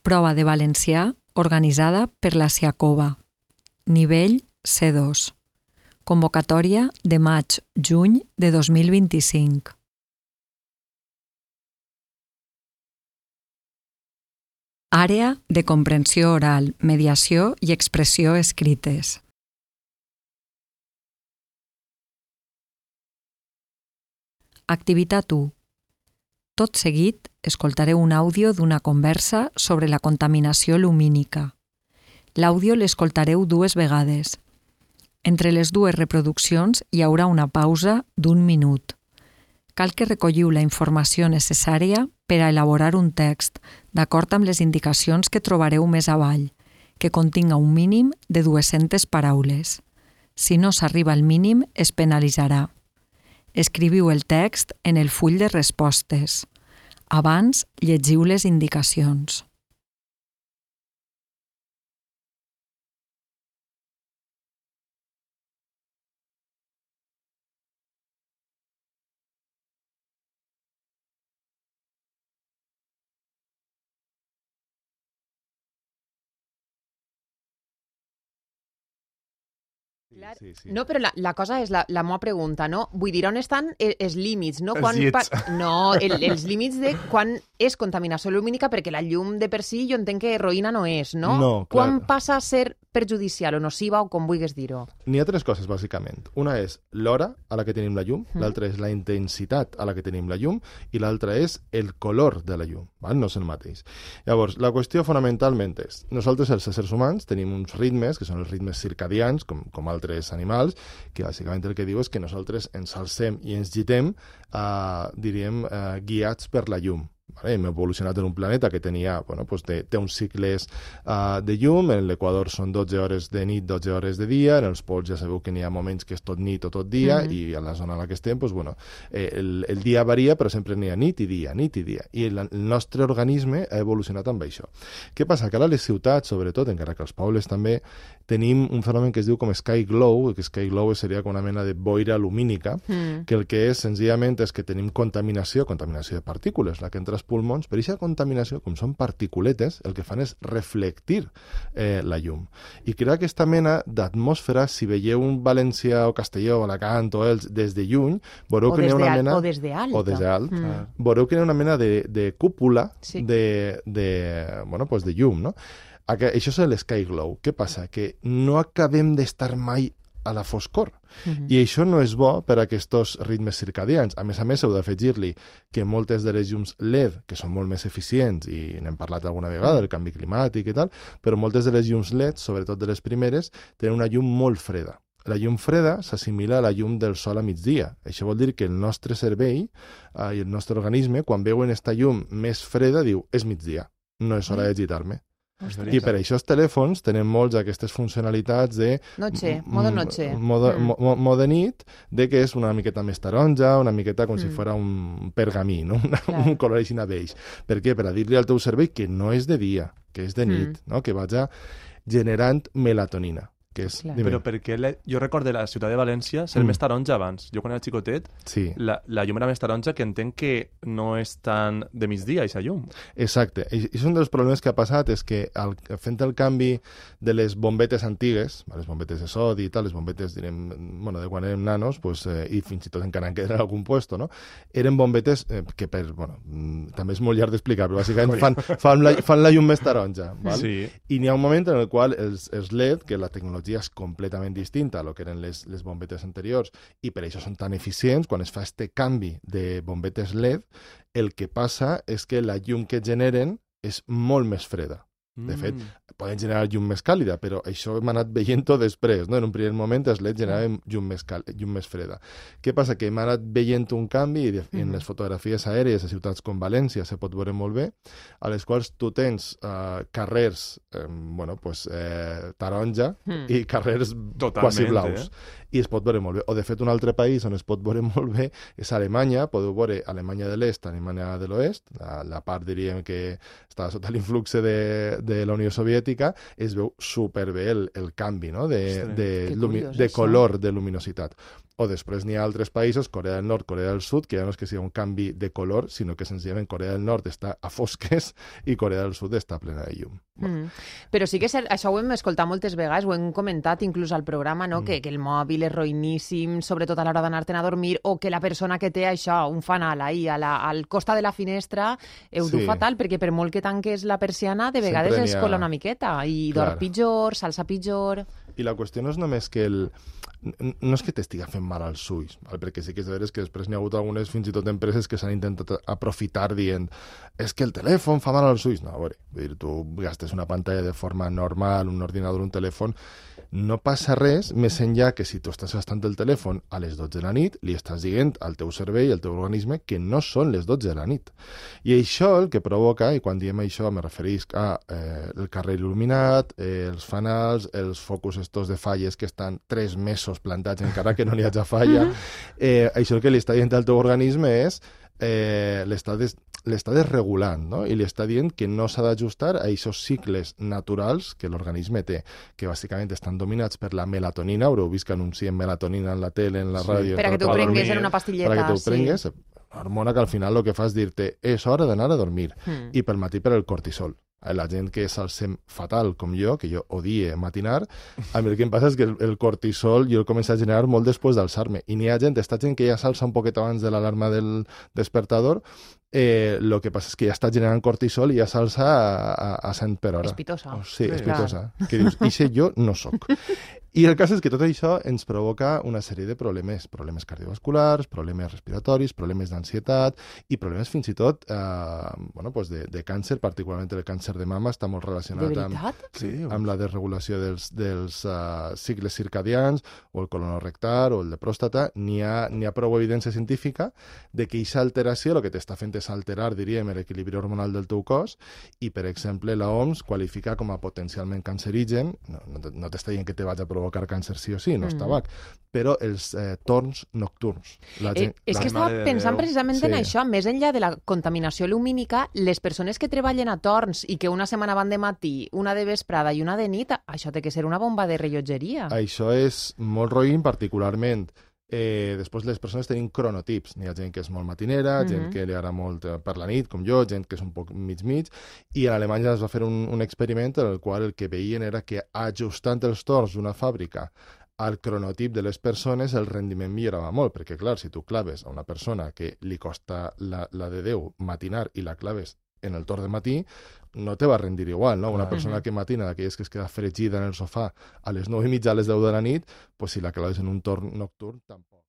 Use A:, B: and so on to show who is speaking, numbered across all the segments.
A: Prova de valencià organitzada per la Siacova. Nivell C2. Convocatòria de maig-juny de 2025. Àrea de comprensió oral, mediació i expressió escrites. Activitat 1. Tot seguit, escoltareu un àudio d'una conversa sobre la contaminació lumínica. L'àudio l'escoltareu 2 vegades. Entre les 2 reproduccions hi haurà una pausa d'1 minut. Cal que recolliu la informació necessària per a elaborar un text, d'acord amb les indicacions que trobareu més avall, que continga un mínim de 200 paraules. Si no s'arriba al mínim, es penalitzarà. Escriviu el text en el full de respostes. Abans, llegiu les indicacions.
B: Sí.
C: No, però la cosa és la meva pregunta, no? Vull dir, on estan els límits, no?
B: Els llits.
C: Els límits de quan és contaminació lumínica, perquè la llum de per si jo entenc que heroïna no és, no?
B: No, clar.
C: Quan passa a ser perjudicial o nociva o com vulguis dir-ho?
B: N'hi ha 3 coses, bàsicament. Una és l'hora a la que tenim la llum, l'altra és la intensitat a la que tenim la llum i l'altra és el color de la llum, val? No és el mateix. Llavors, la qüestió fonamentalment és, nosaltres els éssers humans tenim uns ritmes, que són els ritmes circadians, com altres animals, que bàsicament el que diu és que nosaltres ens alcem i ens gitem, guiats per la llum. Vale? Hem evolucionat en un planeta que tenia, té uns cicles de llum, en l'equador són 12 hores de nit, 12 hores de dia, en els pols ja sabeu que n'hi ha moments que és tot nit o tot dia, i a la zona en la que estem, el dia varia, però sempre n'hi ha nit i dia, i el nostre organisme ha evolucionat amb això. Què passa? Que ara a les ciutats, sobretot, encara que als pobles també, tenim un fenomen que es diu com sky glow, que sky glow seria com una mena de boira lumínica, que el que és, senzillament, és que tenim contaminació de partícules, la que entra als pulmons, per aquesta contaminació, com són particuletes, el que fan és reflectir la llum. I crea aquesta mena d'atmosfera, si veieu un València o Castelló o Alacant o Elx des de lluny, veureu que hi ha una mena...
C: O des d'alt.
B: O des d'alt. Veureu que hi ha una mena de cúpula de llum, no? Això és l'sky glow. Què passa? Que no acabem d'estar mai a la foscor. I això no és bo per a aquests ritmes circadians. A més, heu d'afegir-li que moltes de les llums LED, que són molt més eficients, i n'hem parlat alguna vegada, del canvi climàtic i tal, però moltes de les llums LED, sobretot de les primeres, tenen una llum molt freda. La llum freda s'assimila a la llum del sol a migdia. Això vol dir que el nostre cervell i el nostre organisme, quan veuen aquesta llum més freda, diu, és migdia, no és hora de gitar-me. I per això els telèfons tenen molts aquestes funcionalitats de...
C: Modo noche.
B: Modo nit, de que és una miqueta més taronja, una miqueta com si fos un pergamí, no? Un color així beix. Per què? Per a dir-li al teu cervell que no és de dia, que és de nit, no? Que vaja generant melatonina.
D: Però perquè jo recordo la ciutat de València ser més taronja abans. Jo quan era xicotet, la llum era més taronja, que entenc que no és tan de migdia, aquesta llum.
B: Exacte. I un dels problemes que ha passat és que fent el canvi de les bombetes antigues, les bombetes de sodi i tal, les bombetes, direm, de quan érem nanos, i fins i tot encara en queden en algun puesto, no? Eren bombetes que també és molt llarg d'explicar, però bàsicament fan la llum més taronja. I n'hi ha un moment en el qual els LED, que la tecnologia és completament distinta a lo que eren les bombetes anteriors i per això són tan eficients, quan es fa este canvi de bombetes LED, el que passa és que la llum que generen és molt més freda. De fet, poden generar llum més càlida, però això hem anat veient-ho després, no? En un primer moment els LED generaven llum més freda. Què passa? Que hem anat veient un canvi i en les fotografies aèries a ciutats com València se pot veure molt bé, a les quals tu tens carrers taronja i carrers quasi blaus. I es pot veure molt bé. O, de fet, un altre país on es pot veure molt bé és Alemanya. Podeu veure Alemanya de l'Est, Alemanya de l'Oest, la part, diríem, que està sota l'influx de la Unió Soviètica, es veu superbé el canvi, no? de color, de luminositat. O després n'hi ha altres països, Corea del Nord, Corea del Sud, que ja no és que sigui un canvi de color, sinó que senzillament Corea del Nord està a fosques i Corea del Sud està plena de llum.
C: Però sí que això ho hem escoltat moltes vegades, ho hem comentat inclús al programa, no? Que el mòbil és roïníssim, sobretot a l'hora d'anar-te'n a dormir, o que la persona que té això, un fanal ahí al costat de la finestra, ho du fatal, perquè per molt que tanques la persiana, de vegades es cola una miqueta i dorm pitjor, s'alça pitjor...
B: I la qüestió no és només que no és que t'estiga fent mal als ulls, perquè sí que és de veres que després n'hi ha hagut algunes, fins i tot empreses, que s'han intentat aprofitar dient és que el telèfon fa mal als ulls. No, a veure, tu gastes una pantalla de forma normal, un ordinador, un telèfon, no passa res més enllà que si tu estàs gastant el telèfon a les 12 de la nit, li estàs dient al teu cervell, al teu organisme, que no són les 12 de la nit. I això el que provoca, i quan diem això me referís a el carrer il·luminat, els fanals, els focus estos de falles que estan 3 mesos plantats encara que no n'hi hagi falla, això el que li està dient al teu organisme és l'està desregulant, no? I li està dient que no s'ha d'ajustar a aquests cicles naturals que l'organisme té, que bàsicament estan dominats per la melatonina, haureu vist que anuncien melatonina en la tele, en la ràdio...
C: Per a que t'ho prengues en una pastilleta.
B: Per a que t'ho prengues, hormona que al final el que fa és dir-te és hora d'anar a dormir, i pel matí per el cortisol. La gent que s'alcem fatal, com jo, que jo odie matinar, a mi el que em passa és que el cortisol jo el començo a generar molt després d'alçar-me. I n'hi ha gent, esta gent que ja s'alça un poquet abans de l'alarma del despertador, el que passa és que ja està generant cortisol i ja s'alça a 100 per hora.
C: Espitosa.
B: Sí, espitosa. Que dius, ixe jo no soc. I el cas és que tot això ens provoca una sèrie de problemes cardiovasculars, problemes respiratoris, problemes d'ansietat i problemes fins i tot de càncer, particularment el càncer de mama està molt relacionat amb la desregulació dels cicles circadians o el colonorectal o el de pròstata. N'hi ha prou evidència científica de que aquesta alteració el que t'està fent és alterar, diríem, l'equilibri hormonal del teu cos i, per exemple, l'OMS qualifica com a potencialment cancerigen, no t'està dient que te vaig a provocar càncer sí o sí, no és tabac, però els torns nocturns.
C: És que estava pensant precisament en això, més enllà de la contaminació lumínica, les persones que treballen a torns i que una setmana van de matí, una de vesprada i una de nit, això té que ser una bomba de rellotgeria.
B: Això és molt roïn, particularment després les persones tenen cronotips. N'hi ha gent que és molt matinera, gent que li agrada molt per la nit, com jo, gent que és un poc mig-mig, i a Alemanya es va fer un experiment en el qual el que veien era que ajustant els torns d'una fàbrica al cronotip de les persones el rendiment millorava molt, perquè clar, si tu claves a una persona que li costa la de Déu matinar i la claves en el torn de matí, no te va rendir igual, no? Una persona que matina, d'aquelles que es queda fregida en el sofà a les 9:30, a les 10 de la nit, pues si la claves en un torn nocturn, tampoc.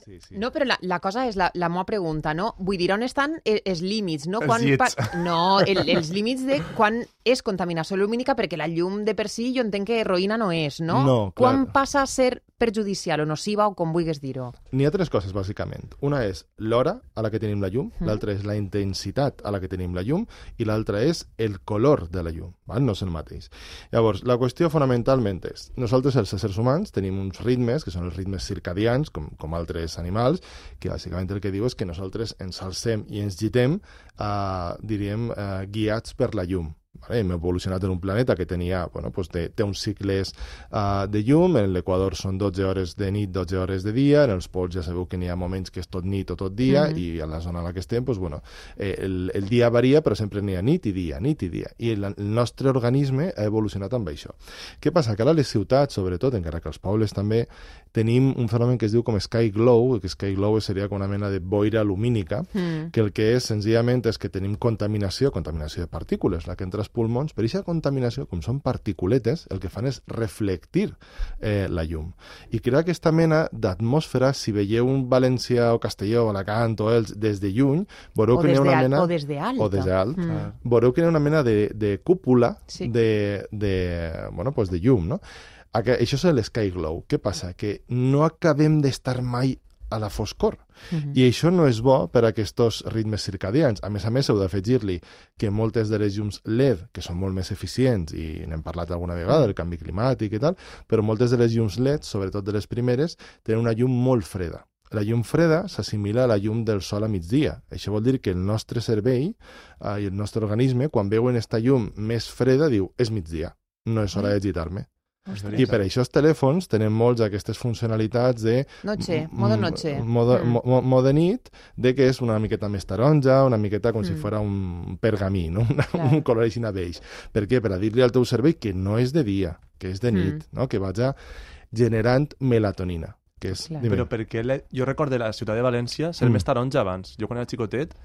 C: Sí. No, però la cosa és la meva pregunta, no? Vull dir, on estan els límits, no? Els límits de quan és contaminació lumínica, perquè la llum de per si jo entenc que heroïna no és, no?
B: No, clar.
C: Quan passa a ser perjudicial o nociva o com vulguis dir-ho?
B: N'hi ha 3 coses, bàsicament. Una és l'hora a la que tenim la llum, l'altra és la intensitat a la que tenim la llum i l'altra és el color de la llum, val? No és el mateix. Llavors, la qüestió fonamentalment és, nosaltres els éssers humans tenim uns ritmes, que són els ritmes circadians, com altres animals, que bàsicament el que diu és que nosaltres ens alcem i ens gitem, diríem, guiats per la llum. Vale? Hem evolucionat en un planeta que tenia, bueno, pues té uns cicles de llum, en l'Equador són 12 hores de nit, 12 hores de dia, en els pols ja sabeu que n'hi ha moments que és tot nit o tot dia, i a la zona en la que estem, pues, bueno, el dia varia, però sempre n'hi ha nit i dia, nit i dia. I el nostre organisme ha evolucionat amb això. Què passa? Que ara a les ciutats, sobretot, encara que als pobles també, tenim un fenomen que es diu com sky glow, que sky glow seria com una mena de boira lumínica, que el que és senzillament és que tenim contaminació de partícules, la que entra als pulmons, però aquesta contaminació, com són particuletes, el que fan és reflectir la llum. I crea aquesta mena d'atmosfera, si veieu un València o Castelló o Alacant o Els des de lluny, veureu que hi ha una mena...
C: O des de alt.
B: O des de alt. Veureu que hi ha una mena de cúpula de llum, no? Això és l'sky glow. Què passa? Que no acabem d'estar mai a la foscor. I això no és bo per a aquests ritmes circadians. A més, heu d'afegir-li que moltes de les llums LED, que són molt més eficients, i n'hem parlat alguna vegada, del canvi climàtic i tal, però moltes de les llums LED, sobretot de les primeres, tenen una llum molt freda. La llum freda s'assimila a la llum del sol a migdia. Això vol dir que el nostre cervell i el nostre organisme, quan veuen aquesta llum més freda, diu, és migdia, no és hora de gitar-me. I per això els telèfons tenen molts aquestes funcionalitats de...
C: Modo noche.
B: Modo nit, de que és una miqueta més taronja, una miqueta com si fos un pergamí, no? Un color així beix. Per què? Per a dir-li al teu cervell que no és de dia, que és de nit, no? Que vaja generant melatonina.
D: Però perquè jo recordo la ciutat de València ser més taronja abans. Jo quan era xicotet,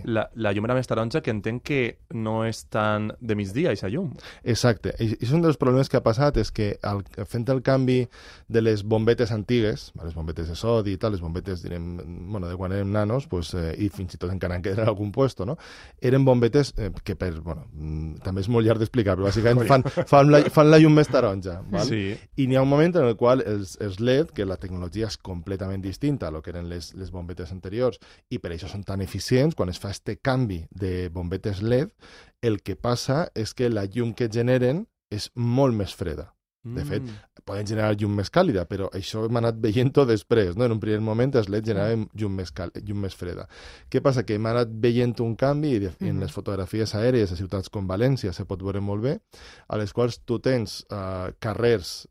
D: la llum era més taronja, que entenc que no és tan de migdia, aquesta llum.
B: Exacte. I un dels problemes que ha passat és que fent el canvi de les bombetes antigues, les bombetes de sodi i tal, les bombetes, direm, de quan érem nanos, i fins i tot encara en queden en algun puesto, no? Eren bombetes que també és molt llarg d'explicar, però bàsicament fan la llum més taronja. I n'hi ha un moment en el qual els LED, que la tecnologia és completament distinta a lo que eren les bombetes anteriors, i per això són tan eficients. Quan es fa este canvi de bombetes LED, el que passa és que la llum que generen és molt més freda. De fet, poden generar llum més càlida, però això hem anat veient-ho després, no? En un primer moment els LED generaven llum més freda. Què passa? Que hem anat veient un canvi, i en les fotografies aèries a ciutats com València se pot veure molt bé, a les quals tu tens carrers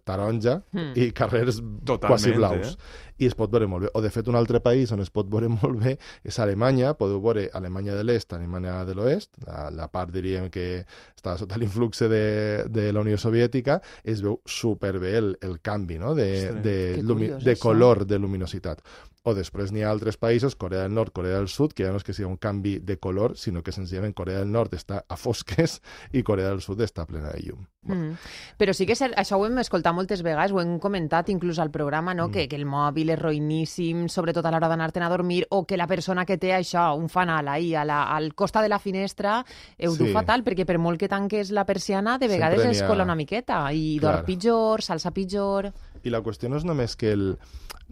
B: taronja i carrers quasi blaus. I es pot veure molt bé. O, de fet, un altre país on es pot veure molt bé és Alemanya. Podeu veure Alemanya de l'Est, Alemanya de l'Oest, la part, diríem, que està sota l'influx de la Unió Soviètica, es veu superbé el canvi, no? de color, de luminositat. O després n'hi ha altres països, Corea del Nord, Corea del Sud, que ja no és que sigui un canvi de color, sinó que senzillament Corea del Nord està a fosques i Corea del Sud està plena de llum.
C: Però sí que això ho hem escoltat moltes vegades, ho hem comentat inclús al programa, no? Que el mòbil és roïníssim, sobretot a l'hora d'anar-te'n a dormir, o que la persona que té això, un fanal ahí al costat de la finestra, ho du fatal, perquè per molt que tanques la persiana, de vegades es cola una miqueta i dorm pitjor, s'alça pitjor...
B: I la qüestió no és només que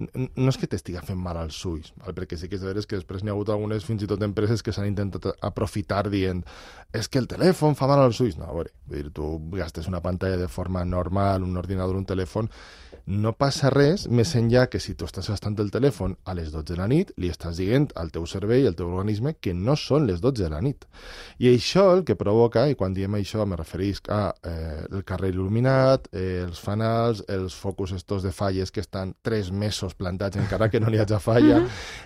B: no és que t'estiga fent mal als ulls, perquè sí que és de veres que després n'hi ha hagut algunes, fins i tot empreses, que s'han intentat aprofitar dient és que el telèfon fa mal als ulls. No, a veure, tu gastes una pantalla de forma normal, un ordinador, un telèfon, no passa res, més enllà que si tu estàs gastant el telèfon a les 12 de la nit, li estàs dient al teu cervell, al teu organisme, que no són les 12 de la nit. I això el que provoca, i quan diem això me referís a el carrer il·luminat, els fanals, els focus estos de falles que estan 3 mesos plantats encara que no n'hi hagi falla,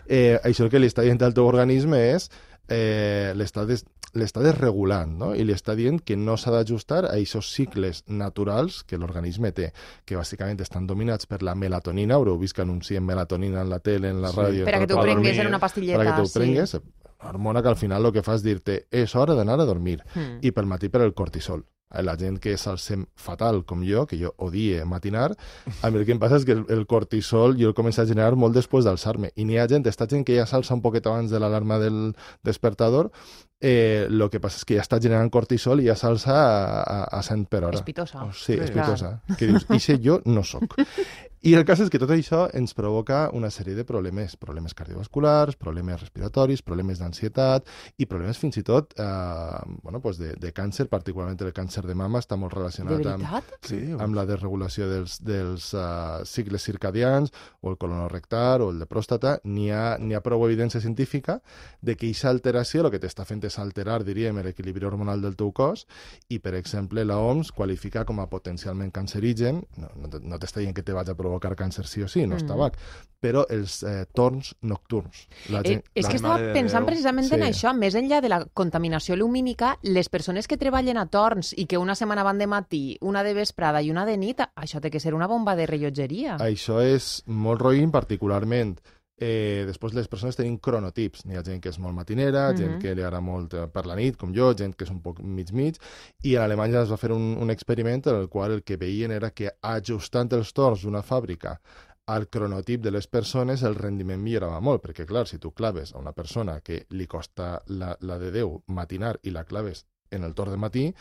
B: això el que li està dient al teu organisme és l'està desregulant, no? I li està dient que no s'ha d'ajustar a aquests cicles naturals que l'organisme té, que bàsicament estan dominats per la melatonina. Haureu vist que anuncien melatonina en la tele, en la ràdio...
C: Per a que t'ho prengues en una pastilleta.
B: Per a que t'ho prengues, una hormona que al final el que fa és dir-te és hora d'anar a dormir. I pel matí per el cortisol. La gent que s'alcem fatal, com jo, que jo odie matinar, a mi el que em passa és que el cortisol jo el començo a generar molt després d'alçar-me. I n'hi ha gent, esta gent que ja s'alça un poquet abans de l'alarma del despertador, el que passa és que ja està generant cortisol i ja s'alça a 100 per hora.
C: Espitosa.
B: Sí, espitosa. Que dius, ixe jo no soc. I el cas és que tot això ens provoca una sèrie de problemes cardiovasculars, problemes respiratoris, problemes d'ansietat i problemes fins i tot de càncer, particularment el càncer de mama està molt relacionat amb la desregulació dels cicles circadians, o el colonorectal o el de pròstata. N'hi ha prou evidència científica de que aquesta alteració el que t'està fent és alterar, diríem, l'equilibri hormonal del teu cos, i, per exemple, la OMS qualifica com a potencialment cancerigen, no t'està dient que te vaig a provocar càncer sí o sí, no és tabac, però els torns nocturns.
C: És que estava pensant precisament en això, més enllà de la contaminació lumínica, les persones que treballen a torns i que una setmana van de matí, una de vesprada i una de nit, això té que ser una bomba de rellotgeria.
B: Això és molt roïn, particularment. Després les persones tenen cronotips. N'hi ha gent que és molt matinera, gent que li agrada molt per la nit, com jo, gent que és un poc mig-mig, i a Alemanya es va fer un experiment en el qual el que veien era que ajustant els torns d'una fàbrica al cronotip de les persones el rendiment millorava molt, perquè clar, si tu claves a una persona que li costa la de Déu matinar i la claves en el torn de matí,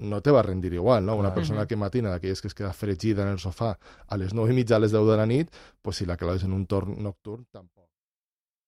B: no te va rendir igual, no? Una persona que matina, d'aquelles que es queda fregida en el sofà a les 9:30, a les 10 de la nit, pues si la claves en un torn nocturn, tampoc.